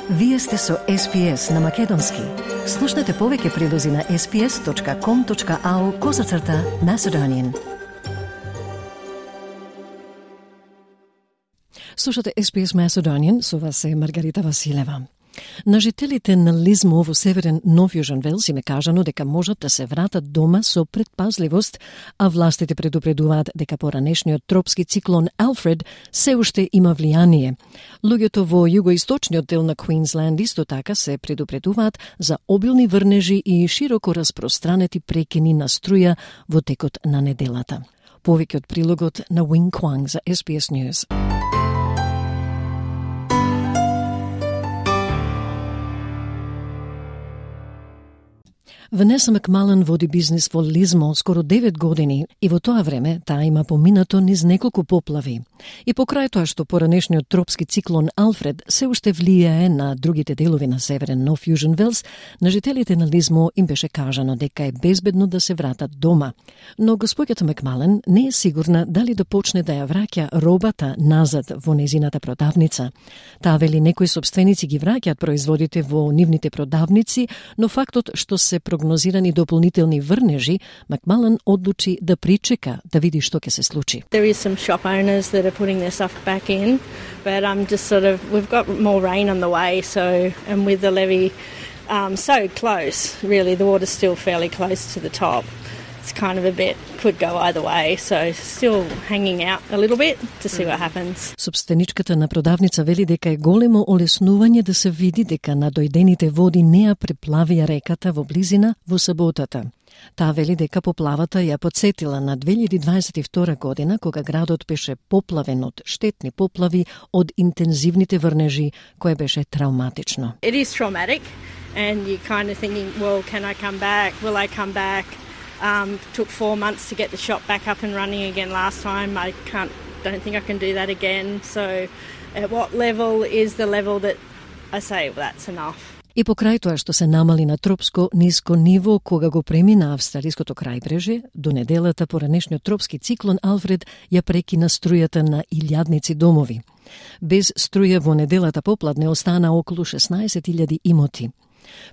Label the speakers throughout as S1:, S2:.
S1: Вие сте со SPS на Македонски. Слушнете повеќе прилози на sps.com.au/Macedonian. Слушате SPS Macedonian, со вас е Маргарита Василева. На жителите на Лизмо во северен Нов Јужен Велс им е кажано дека можат да се вратат дома со предпазливост, а властите предупредуваат дека поранешниот тропски циклон Алфред се уште има влијание. Луѓето во југоисточниот дел на Квинсленд исто така се предупредуваат за обилни врнежи и широко распространети прекини на струја во текот на неделата. Повеќе од прилогот на Wing Kwang за SBS News. Ванеса Макмален води бизнис во Лизмо скоро 9 години и во тоа време таа има поминато низ неколку поплави. И покрај тоа што поранешниот тропски циклон Алфред се уште влијае на другите делови на северен Нов Јужен Велс, на жителите на Лизмо им беше кажано дека е безбедно да се вратат дома. Но госпоѓата Макмален не е сигурна дали да почне да ја враќа робата назад во незината продавница. Таа вели некои сопственици ги враќаат производите во нивните продавници, но фактот што се прогнозирани дополнителни врнежи, Макмален одлучи да причека да види што ќе се случи.
S2: There is some shop owners that are putting their stuff back in, but I'm just we've got more rain on the way, so, and with the levee so close, really, the water's still fairly close to the top. It's kind of a bit, could go either way, so still hanging out a little bit to see what happens.
S1: Собственичката на продавница вели дека е големо олеснување да се види дека надојдените води не ја преплавија реката во близина во саботата. Таа вели дека поплавата ја потсетила на 2022 година, кога градот беше поплавен од штетни поплави од интензивните врнежи, кое беше травматично.
S2: It is traumatic, and you're kind of thinking, well, can I come back? Will I come back? Took 4 months to get the shop back up and running again last time. Don't think I can do that again. So at what level is the level that I say, well, that's enough?
S1: И покрај тоа што се намали на тропско ниско ниво кога го премина австралиското крајбрежје, до неделата поранешниот тропски циклон Алфред ја прекина струјата на илјадници домови. Без струја во неделата попладне остана околу 16.000 имоти.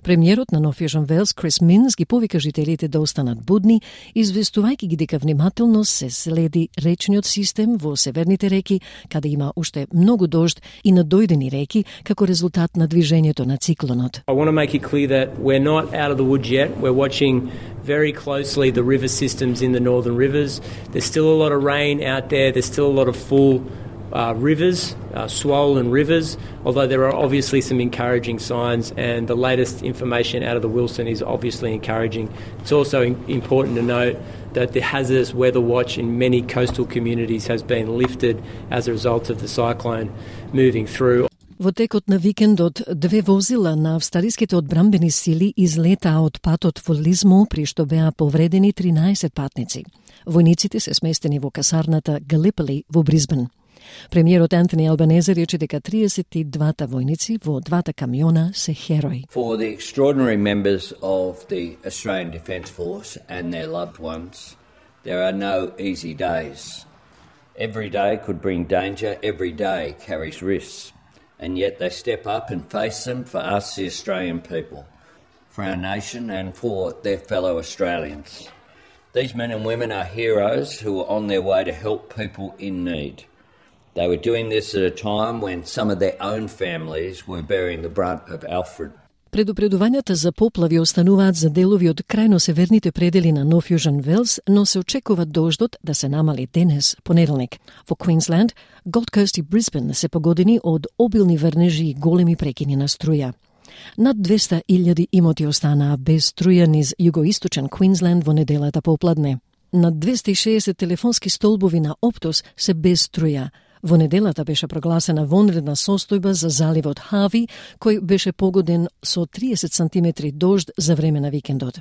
S1: Премиерот на Нов Јужен Велс, Крис Минс, ги повика жителите да останат будни, известувајќи ги дека внимателно се следи речниот систем во северните реки, каде има уште многу дожд и надојдени реки како резултат на движењето на циклонот.
S3: I want to make it clear that we're not out of the woods yet. We're watching very closely the river systems in the northern rivers. There's still a lot of rain out there. There's still a lot of full rivers, swollen rivers, although there are obviously some encouraging signs, and the latest information out of the Wilson is obviously encouraging. It's also important to note that the hazardous weather watch in many coastal communities has been lifted as a result of the cyclone moving through.
S1: Во текот на викендот, 2 возила на австралиските одбранбени сили излетаа од патот во Лизмо, при што беа повредени 13 патници. Војниците се сместени во касарната Галипали во Брисбен. Премиерот Антони Албанезе рече дека 32 војници во 2 камиона се херои.
S4: For the extraordinary members of the Australian Defence Force and their loved ones, there are no easy days. Every day could bring danger, every day carries risks, and yet they step up and face them for us, the Australian people, for our nation and for their fellow Australians. These men and women are heroes who are on their way to help people in need. They were doing this at a time when some of their own families were bearing the brunt of Alfred.
S1: Предупредувањата за поплави остануваат за делови од крајно северните предели на Нов Јужен Велс, но се очекува дождот да се намали денес, понеделник. Во Квинсленд, Голд Кост и Брисбен се погодени од обилни врнежи и големи прекини на струја. Над 200.000 имоти останаа без струја низ југоисточен Квинсленд во неделата попладне. Над 260 телефонски столбови на Оптос се без струја. Во неделата беше прогласена вонредна состојба за заливот Хави, кој беше погоден со 30 сантиметри дожд за време на викендот.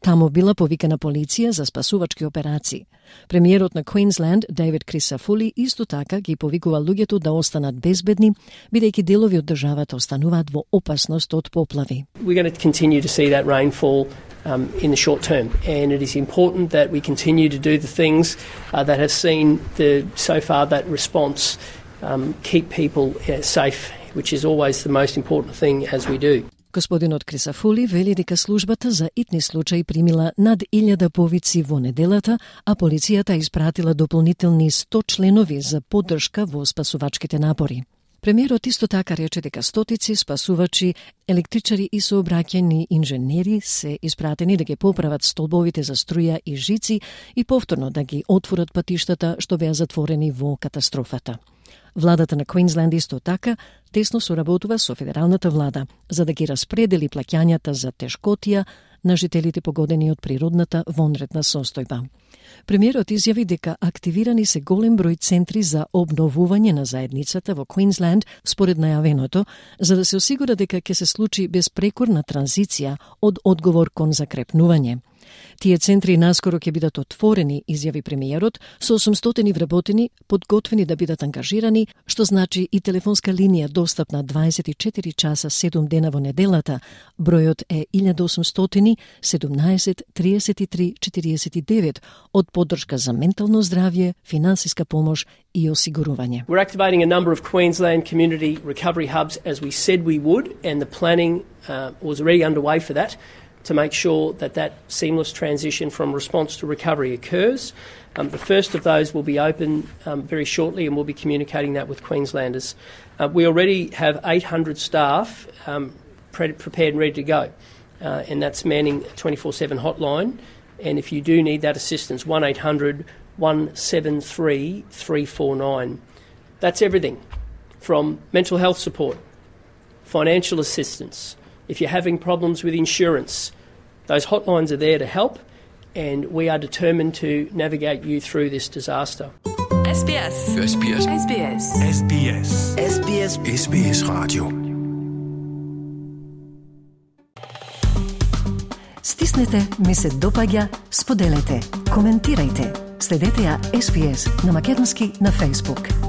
S1: Таму била повикана полиција за спасувачки операции. Премиерот на Квинсленд, Дейвид Крисафули, исто така ги повикува луѓето да останат безбедни, бидејќи делови од државата остануваат во опасност од поплави.
S5: We're going to continue to see that rainfall in the short term, and it is important that we continue to do the things that have seen so far that response keep people safe which is always the most important thing as we do.
S1: Господинот Крисафули вели дека службата за итни случаи примила над 1000 повици во неделата, а полицијата испратила дополнителни 100 членови за поддршка во спасувачките напори. Премиерот исто така рече дека стотици спасувачи, електричари и сообраќајни инженери се испратени да ги поправат столбовите за струја и жици и повторно да ги отворат патиштата што беа затворени во катастрофата. Владата на Квинсленд исто така тесно соработува со федералната влада за да ги распредели плаќањата за тешкотија на жителите погодени од природната вонредна состојба. Премиерот изјави дека активирани се голем број центри за обновување на заедницата во Квинсленд според најавеното, за да се осигура дека ќе се случи безпрекорна транзиција од одговор кон закрепнување. Тие центри наскоро ќе бидат отворени, изјави премиерот, со 800 вработени, подготвени да бидат ангажирани, што значи и телефонска линија достапна 24 часа 7 дена во неделата. Бројот е 1800 17 33 49 од поддршка за ментално здравје, финансиска помош и осигурување.
S5: We're activating a number of Queensland community recovery hubs as we said we would, and the planning was already underway for that, to make sure that that seamless transition from response to recovery occurs. The first of those will be open very shortly, and we'll be communicating that with Queenslanders. We already have 800 staff prepared and ready to go, and that's manning a 24/7 hotline. And if you do need that assistance, 1800 173 349. That's everything from mental health support, financial assistance. If you're having problems with insurance, those hotlines are there to help, and we are determined to navigate you through this disaster.
S6: SBS. SBS. SBS.
S7: SBS.
S6: SBS.
S7: SBS Radio.
S1: Стиснете, ми се допаѓа, споделете, коментирајте. Следете ја SBS на македонски на Facebook.